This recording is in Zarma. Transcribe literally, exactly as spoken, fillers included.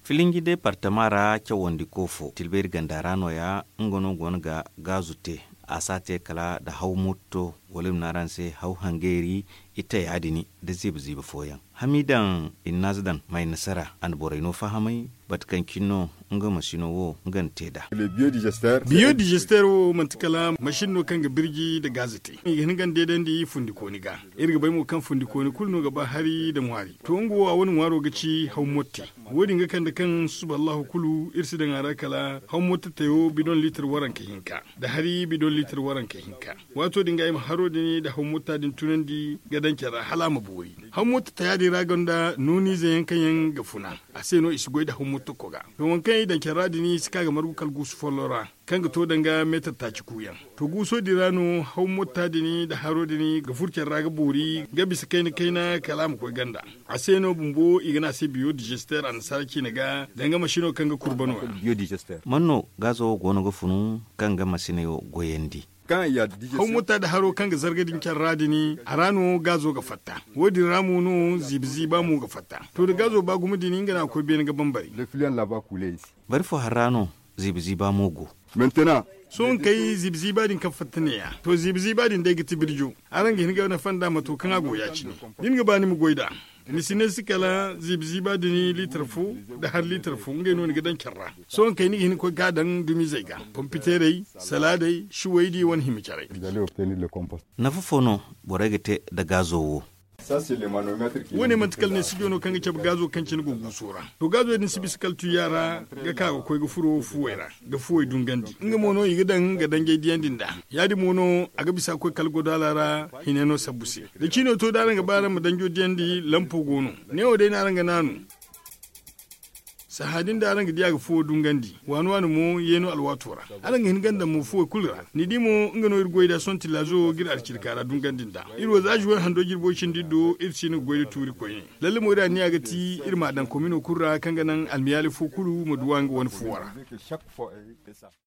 Filinji departama ra cawandi koofo tilbayri ganda ra nooya. Nga no go no ga gaazu te. A si a te kala nda haw motto wala i ma ne araŋ se haw hangeeri. Ite ya- din nda ziiba ziiba fooyaŋ hamiidaŋ. Innaaza daŋ may nasara a na borey no fahamay. Bate kaŋ cine no nga masino wo nga na te nd'a. Biyodizester wo manti kala masin no kaŋ ga birji nda gaaza te. I ga hin ga ni deedandi fundikooni ga. Iri ga bay mo kaŋ fundikooni kulu no ga ba hari nda ŋwaari. To nga wo a wane ŋwaaro ga ci haw motte. Wo-din ga kande kaŋ susuba allahu kulu iri si daŋ a ra kala haw motte tayo bidon liitir waranka hinka nda hari bidon liitir waranka hinka. Waato din ga ay ma haro din nda haw motta din tunandi ga daŋ care ra hala a ma boori. Haw motta taya din ra gonda nooniize yaŋ kaŋ yaŋ ga funa. A se no i si goy nda haw motta koga. To waŋ kaŋ i daŋ care ra din i si ka ga margu kala guusu follo ra, kaŋ ga to danga meetar taaci kuuyaŋ. To guuso din ra no haw motta din nda haro din ga furo care ra ga boori ga bisa kayna kayna kala a ma koy ganda. A se no bumbo i ga ne a se biyo digester annasaara ciine ga danga masino kaŋ ga kurba no ya. Man no gaazo wo go no ga funu kaŋ ga masiney wo goyandi? Haw mutta nda haro kaŋ ga zarga din care ra din a ra no gaazo ga fatta. Wo- din ra mo no ziiba ziiba mo ga fatta. To da gaazo ba gumo din nga no a ga koy beene ga bambari. Bari fo hari ra no ziiba ziiba mo go. Sohõ nga kay ziiba ziiba din kaŋ fatta neeya. To ziiba ziiba din day ga ti birjo. Araŋ ga hin ga nafa nd'a mato kaŋ a go ya- cine. Da ni ga ba ni ma goy nd'a, ni si ne si kala ziiba ziiba din liitar fo nda hari liitar fo ngey no ni ga daŋ care ra. Sohõ nga kay ni ga hin ga koy ga a daŋ dumizey ga, pompiteerey, salaadey, shuwaydi wane hima carey. Nafa fo no borey ga te nda gaazo wo? Wo- ne manti kala ne sijo no kaŋ ga cabe gaazo kaŋ cine go guuso ra. To gaazo din si bisa kala tuyya ra ga ka ga koy ga furo fuwey ra ga fuwey dungandi. Nga mo no i ga daŋ ga danjey diyandi nd'a. Ya- din mo no a ga bisa ga koy kala godaala ra. Hine no sabbu se da ciino to da araŋ ga ba araŋ ma danjo diyandi lampo go no. Neewo day no araŋ ga naanu. Sahã din da araŋ ga di a ga fuwo dungandi waani waani mo yeeno alwaato ra. Araŋ ga hin ga daŋ mo fuwey kulu ra. Ni di mo nga no iri goy nd'a sohõ tillaazo ga iri alcirka ra dungandi nd'a. Iri wo za zuwey hando jirbo cindi do iri si hin ga goy nda tuuri koyne. Lalle mo iri anniya ga ti iri m'a daŋ komino kulu ra kaŋ ga naŋ almiyaali fo kulu ma duw'a nga wane fuwo ra.